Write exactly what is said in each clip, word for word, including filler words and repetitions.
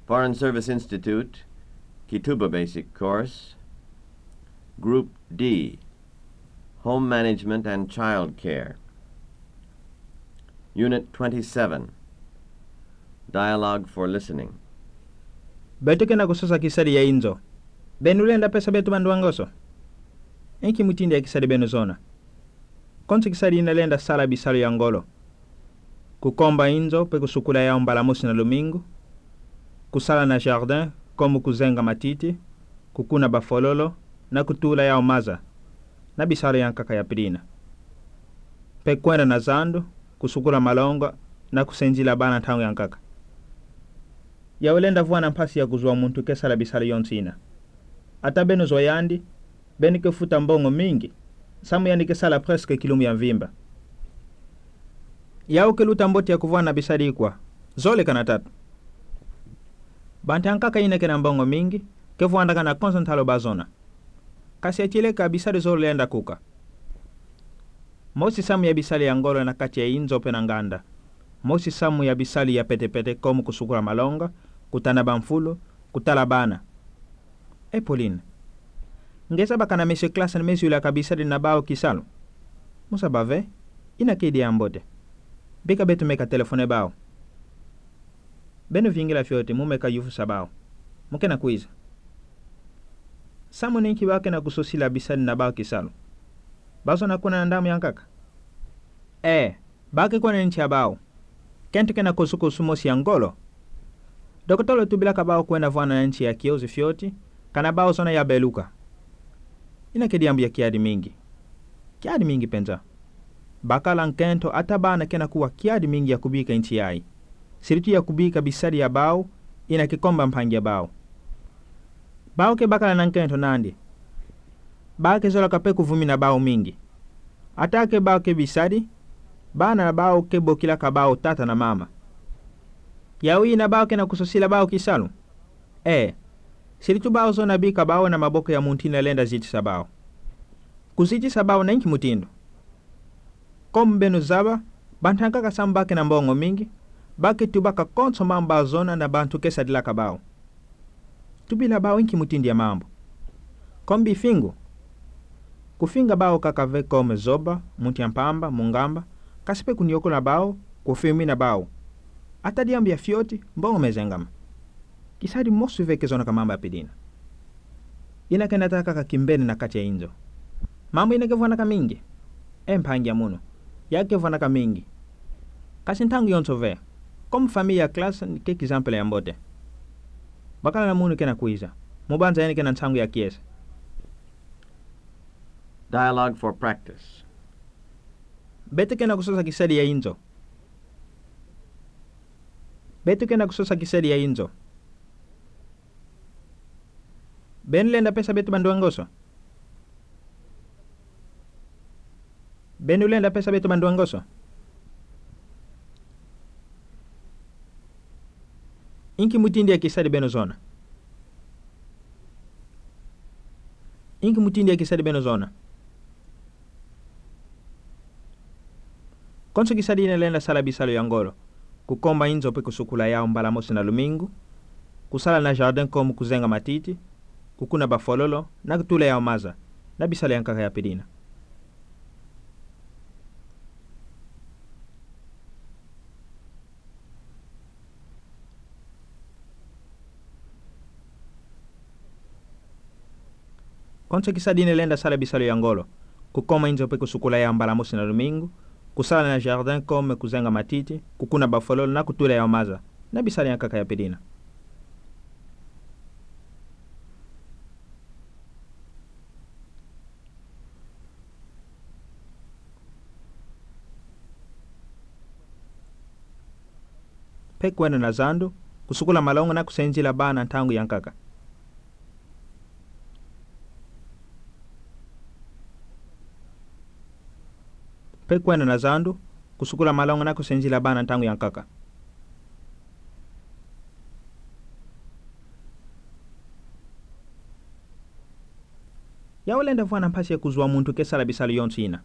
Foreign Service Institute, Kituba Basic Course, Group D, Home Management and Child Care. Unit twenty-seven. Dialogue for listening. Beto kena kusosa kisadi ya inzo. Beno lenda pesa beto bandu wa ngoso. Inki mutindi ya kisadi beno zona? Konso kisadi ina lenda sala bisalu ya ngolo. Kukomba inzo pe kusukula yao mbala mosi na lumingu. Kusala na jardin, komu kuzenga matiti, kukuna bafololo, na kutula yao maza, na bisalu yankaka ya pidina. Pe kwenda na zandu, kusukula malongo, na kusenzila bana ntangu yankaka. Yau lenda vwana mpasi ya kuzua muntu ke sala bisalu yonso ina. Ata beno zwa yandi, beno ke futa mbongo mingi, samu yandi ke sala presque kilumbu ya mvimba. Yau ke luta mbote ya kuvwana bisadi ikwa, zole kana tatu. Bantu yankaka ina kena mbongo mingi, ke vwandakana konso ntalo bazona. Kasi atieleka bisadi zole lenda kuka. Mosi samu ya bisadi ya ngolo na kati ya inzo pe na nganda. Mosi samu ya bisadi ya petepete komu kusukula malongo, kutana bamfulu, kutala bana. E Pauline. Ngeza baka na Monsieur Classen me ziulaka bisadi na bau kisalu. Musa bave, ina ke idea mbote. Bika beto meka telefone bau. Beno vingila fioti, mo meka yufusa bau. Mo kena kwiza. Samu ninki bau kena kusosila bisadi na bau kisalu? Bau zona kuna na ndamu yankaka? E, bau ke kuna nti ya bau. Kento kena kosukosu mosi ya ngolo. Dokotolo tubilaka bau kwenda vwana nti ya kiozi fioti, kana bau zona ya beluka. Ina ke diambu ya kiadi mingi. Kiadi mingi penza. Bakala nkento ata bana kena kuwa kiadi mingi ya kubika nti yayi. Siritu ya kubika bisadi ya bau, ina ke komba mpangi ya bau. Bau ke bakala na nkento nandi. Bau ke zolaka pe kuvumina bau mingi. Ata ke bau ke bisadi, bana bau ke bokilaka bau tata na mama. Yau ina bau kena kusosila bau kisalu? E, siritu bau zona bika bau na maboko ya muntu ina lenda zitisa bau. Kuzitisa bau na inki mutindu? Komu beno zaba, bantu yankaka samu bau kena mbongo mingi, bau ke tubaka konso mambu bau zona na bantu ke sadilaka bau. Tubila bau inki mutindu ya mambu. Komu bifingu. Kufinga bau kaka ve komu zoba, muntu ya mpamba, mungamba, kasi pe kuniokola bau, kufimina bau. Ata diambu ya fioti, mbongo mezengama. Kisadi mosi ve ke zonaka mambu ya pidina. Ina kena taka kaka kimbeni na kati ya inzo. Mambu ina ke vwanaka mingi. E mpangi ya munu. Ya ke vwanaka mingi. Kasi ntangu yonso ve. Komu famille ya Classen ke kizampele ya mbote. Bakala na munu kena kwiza. Mo banza yandi kena nsangu ya kiese. Dialogue for practice. Beto kena kusosa kisadi ya inzo. Beto kena kusosa kisadi ya inzo. Beno lenda pesa beto bandu wa ngoso. Beno lenda pesa beto bandu wa ngoso. Inki mutindu ya kisadi beno zona? Inki mutindu ya kisadi beno zona? Konso kisadi ina lenda sala bisalu ya ngolo. Kukomba inzo pe kusukula yao mbala mosi na lumingu. Kusala na jardin komu kuzenga matiti. Kukuna bafololo, na kutula yao maza. Na bisalu yankaka ya pidina. Konso kisadi ina lenda sala bisalu ya ngolo. Kukomba inzo pe kusukula yao mbala mosi na lumingu. Kusala na jardin komu kuzenga matiti. Kukuna bafololo na kutula yao maza. Na bisalu yankaka ya pidina. Pe kwenda na zandu, kusukula malongo na kusenzila bana ntangu yankaka. Pe kwenda na zandu, kusukula malongo na kusenzila bana ntangu yankaka. Yau lenda vwana mpasi ya kuzua muntu ke sala bisalu yonso ina.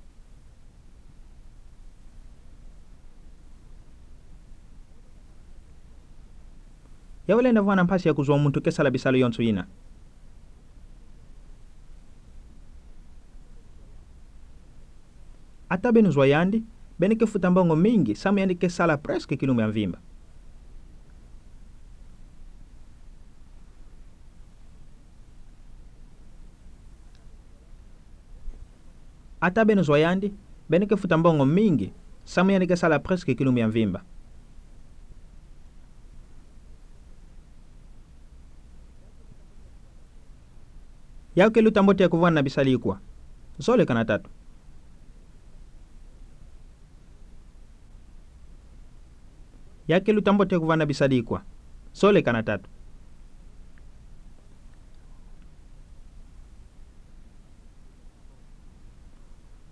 Ewe lenda vana mpasi ya kuzua muntu ke sala bisalu yonsu ina. Ata beno zua yandi, beno ke futa mbongo mingi, samu yandi ke sala presque kilumbu ya mvimba. Ata beno zua yandi, beno ke futa mbongo mingi, samu yandi ke sala presque kilumbu ya mvimba. Ya ke luta mbote ya kuvugana na bisali ikua? Zole kana tatu. Ya ke luta mbote ya kuvugana na bisali ikua? Zole kana tatu.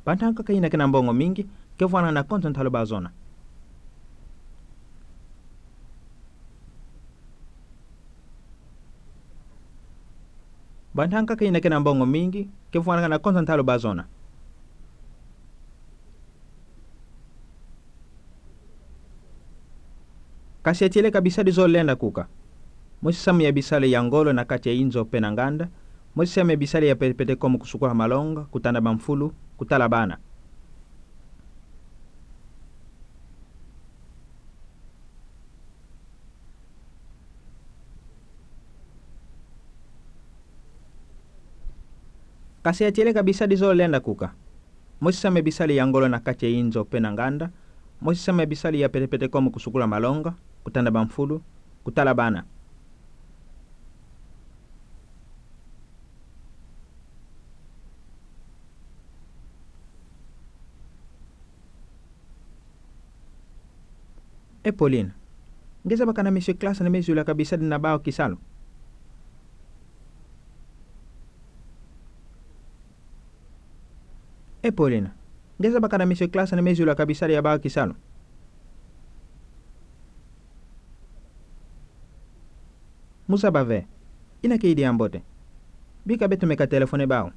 Bantu hankaka ina kena mbongo mingi, ke vugana na konso ntalu bawu zona. Bantu hankaka ina kena mbongo mingi, ke vugana na konso ntalu bawu zona. Kasi atieleka bisali zole lenda kuka. Mosi samu ya bisali ya ngolo na kati ya inzo pe na nganda, mosi samu ya bisali ya petepeteko mo kusukula malonga, kutanda bamfulu, kutala bana. Kasi atieleka bisali zole lenda kuka. Mosi samu ya bisali ya ngolo na kati ya inzo pe na nganda, mosi samu ya bisali ya petepeteko mo kusukula malonga, kutanda bamfulu, kutala bana. E Paulina, ngeza baka na monsieur classe na mezulaka bisali na bawu kisalu? E Paulina, ngeza baka na monsieur classe na mezulaka bisali ya bawu kisalu? Muzaba ve, ina ke idi ya mbote. Bika beto meka téléphone bawu.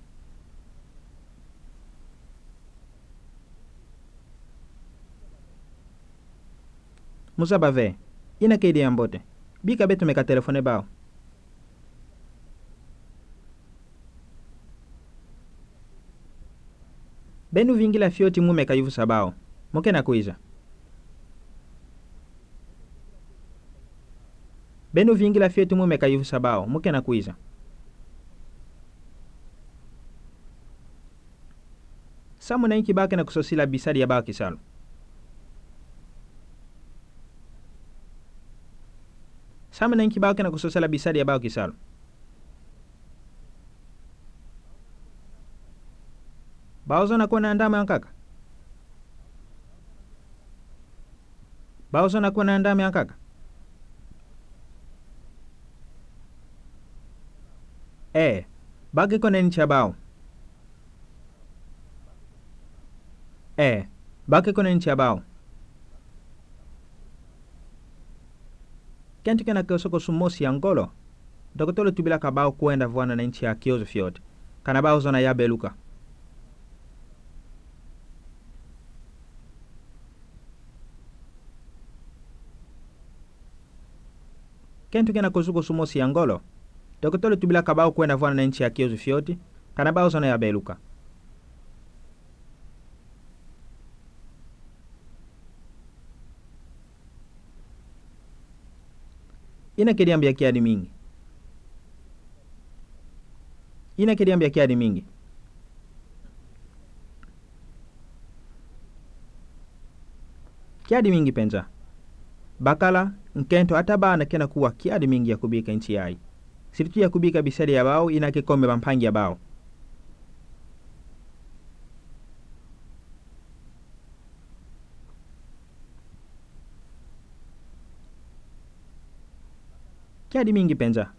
Muzaba ve, ina ke idi ya mbote. Bika beto meka téléphone bawu. Beno vingila fioti mo meka yuvusa bawu. Mo kena kwiza. Beno vingila fioti mo meka yuvusa bawu. Mo kena kwiza. Samu na inki ba kena kusosila bisali ya bawu kisalu? Samu na inki ba kena kusosila bisali ya bawu kisalu? Bawu zona kwena ndama ya nkaka? Bawu zona kwena ndama ya nkaka? Ee, ba ke kwena ntiya bawu. Ee, ba ke kwena ntiya bawu. Kento kena kosuko sumosi ya ngolo, dokotolo tubilaka bawu kwenda vwana na ntiya kiozu fioti, kana bawu zona ya beluka. Kento kena kosuko sumosi ya ngolo, dokotolo tubilaka bawu kwenda vwana na ntiya kiozu fioti, kana bawu zona ya beluka. Ina ke diambu ya kiadi mingi. Ina ke diambu ya kiadi mingi. Kiadi mingi penza. Bakala, nkento ata bana kena kuwa kiadi mingi ya kubika ntiya ai. Siritu ya kubika bisali ya bawu, ina ke kome bampangi ya bawu. Kiadi mingi penza.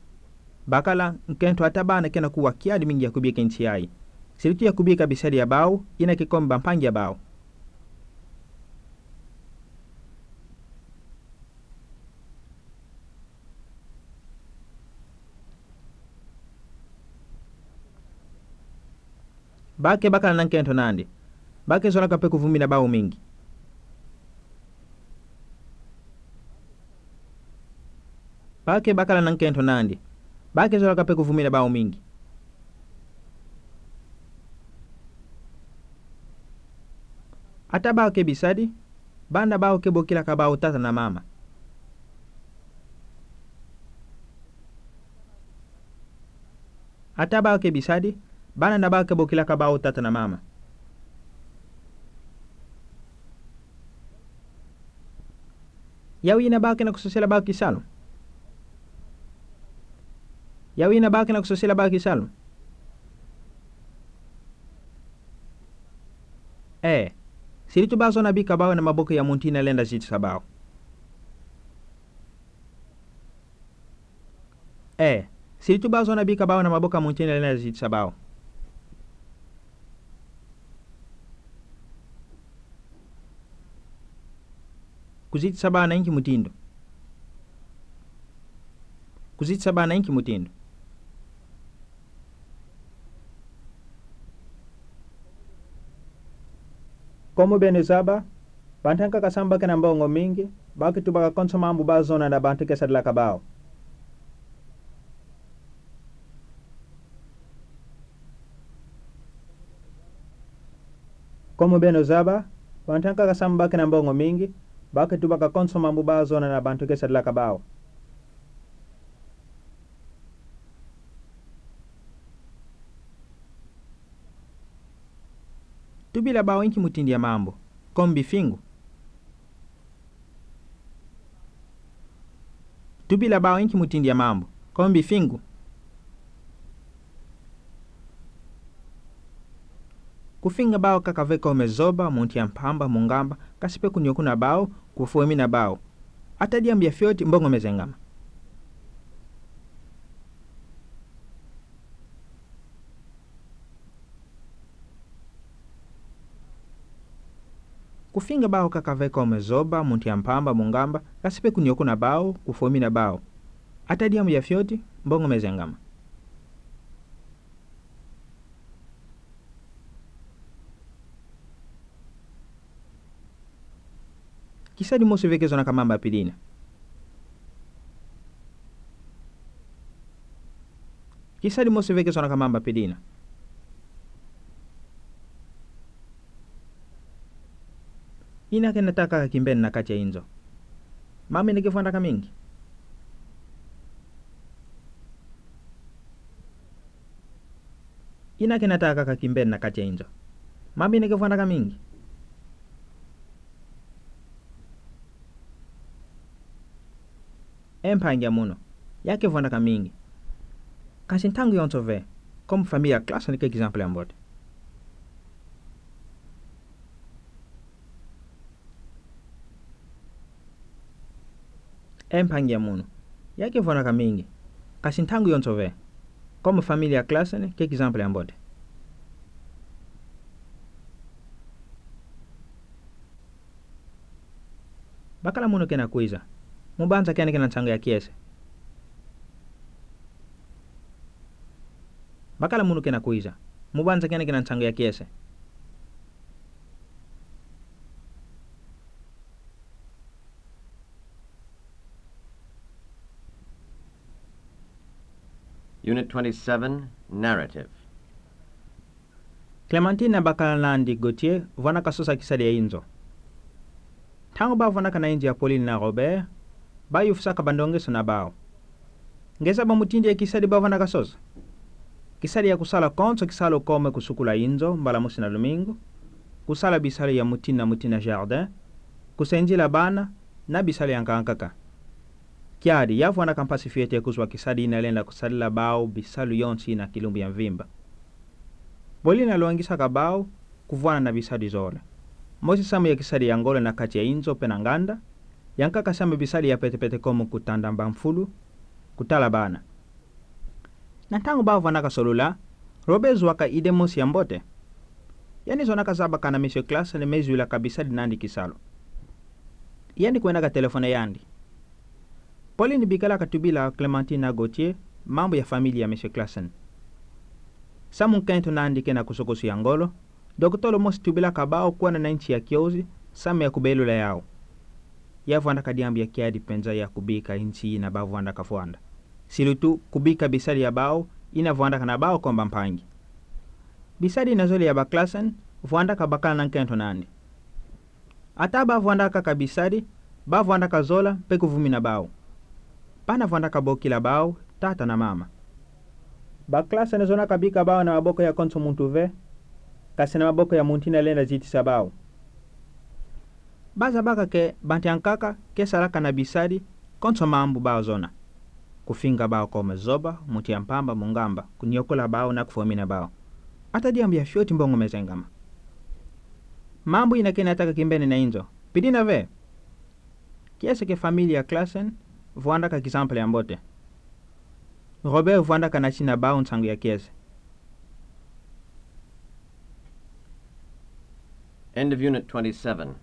Bakala, nkento ata bana kena kuwa kiadi mingi ya kubika ntiya ai. Siritu ya kubika bisali ya bawu, ina ke kome bampangi ya bawu. Ba ke bakala na nkento nandi. Ba ke zonaka pe kuvumina bawu mingi. Baoke bakala na nkento nandi. Baoke zolaka pe kuvumina baomingi. Ata baoke bisadi, banda baoke bokilaka bao tata na mama. Ata baoke bisadi, banda baoke bokilaka bao tata na mama. Ya wina baoke na kusosela bao kisalu. Ya wina baoke na kusosela bao kisalu. Ee, sirituba zona bika bao na maboko ya munti na lenda zitisa bao. Ee, sirituba zona bika bao na maboko ya munti na lenda zitisa bao. Kuzitisa bao na inki mutindu? Kuzitisa bao na inki mutindu? Como bem nos aba, bantu nkaka samu bakana mbongo mingi, baoke tubaka konso mambu ba zona na bantu ke sadilaka bao. Como bem nos aba, bantu nkaka samu bakana mbongo mingi, baoke tubaka konso mambu ba zona na bantu ke sadilaka bao. Tubila bao inki mutindu ya mambu, como bifingu. Tubila bao inki mutindu ya mambu, como bifingu. Kufinga bao kaka ve como zoba, munti ya mpamba, mungamba, kasi pe kuniokuna bao, kufomina bao. Ata diambu ya fioti, mbongo mezengama. Kufinga bao kaka ve como zoba, munti ya mpamba, mungamba, kasi pe kuniokuna bao, kufomina bao. Ata diambu ya fioti, mbongo mezengama. Kisadi mosi ve ke zonaka mamba pidina. Kisadi mosi ve ke zonaka mamba pidina. Ina ke nataka ka kimbeni na kati ya inzo. Mama ina ke vwandaka mingi. Ina ke nataka ka kimbeni na kati ya inzo. Mama ina ke vwandaka mingi. E mpangi ya munu, ya ke vwandaka mingi. Kasi ntangu yonso ve, como família Klassen ke example ya mbote. E mpangi ya munu, ya ke vwandaka mingi. Kasi ntangu yonso ve, como família Klassen ke example ya mbote. Bakala munu ke nakwiza. Mubanza kiane kina nsangu ya kiese. Bakala munu ke nakwiza. Mubanza kiane kina nsangu ya kiese. Unit twenty-seven, Narrative. Clémentine na bakala nandi Gauthier, vwanaka sosa kisadi ya inzo. Ntangu bavwanaka na inzo ya Pauline na Robert, bayufusaka bandongeso na bao. Ngeza ba mutindu ya kisadi bavwanaka sosa. Kisadi ya kusala konso kisalu comme kusukula inzo, mbala mosi na lumingu. Kusala bisalu ya mutindu na mutindu na jardin. Kusenzila bana, na bisalu ya nkaka nkaka. Kiadi, ya vwanaka mpasi fioti ya kuzwa kisadi ina lenda kusadila bao bisalu yonso ina kilumbu ya mvimba. Pauline alongisaka bao, kuvwana na bisalu zole. Mosi samu ya kisadi ya ngolo na kati ya inzo pe na nganda, ya nkaka samu bisalu ya petepete comme kutanda mbamfulu, kutala bana. Na ntangu bavwanaka solula, Robert zuwaka idée mosi ya mbote. Yandi zonaka zaba kana Monsieur Klassen me zuilaka bisadi nandi kisalu. Yandi kwenaka téléphone yandi. Pauline bikalaka tubila Clémentine na Gauthier, mambu ya família ya Monsieur Klassen. Samu nkento nandi kena kusukusu ya ngolo, dokotolo mosi tubilaka bao kwenda na nsi ya kiozi, samu ya kubelula yau. ya vwandaka diambu ya kiadi penza ya kubika insi ina ba vwandaka vwanda. Silutu kubika bisadi ya bao ina vwandaka na bao komba mpangi. Bisadi na zole ya ba klasen vwandaka bakana na nkento nandi. Ata ba vwandaka ka bisadi, ba vwandaka zola mpe kuvumina bao. Bana vwandaka bokila bao tata na mama. Ba klasen zona kabika bao na maboko ya konso muntu ve, kasi na maboko ya muntu ina lenda zitisa bao. Bazabaka ke bantu ya nkaka ke salaka na bisadi konso mambu bao zona. Kufinga bao kome zoba, muntu ya mpamba, mungamba, kuniokola bao na kufomina bao. Ata diambu ya fioti mbongo mezengama. Mambu ina ke nataka kimbene na inzo. Pidi na ve. Kiese ke familia ya klasen vwandaka kisampele ya mbote. Robert vwandaka na tina bao nsangu ya kiese. End of Unit twenty-seven.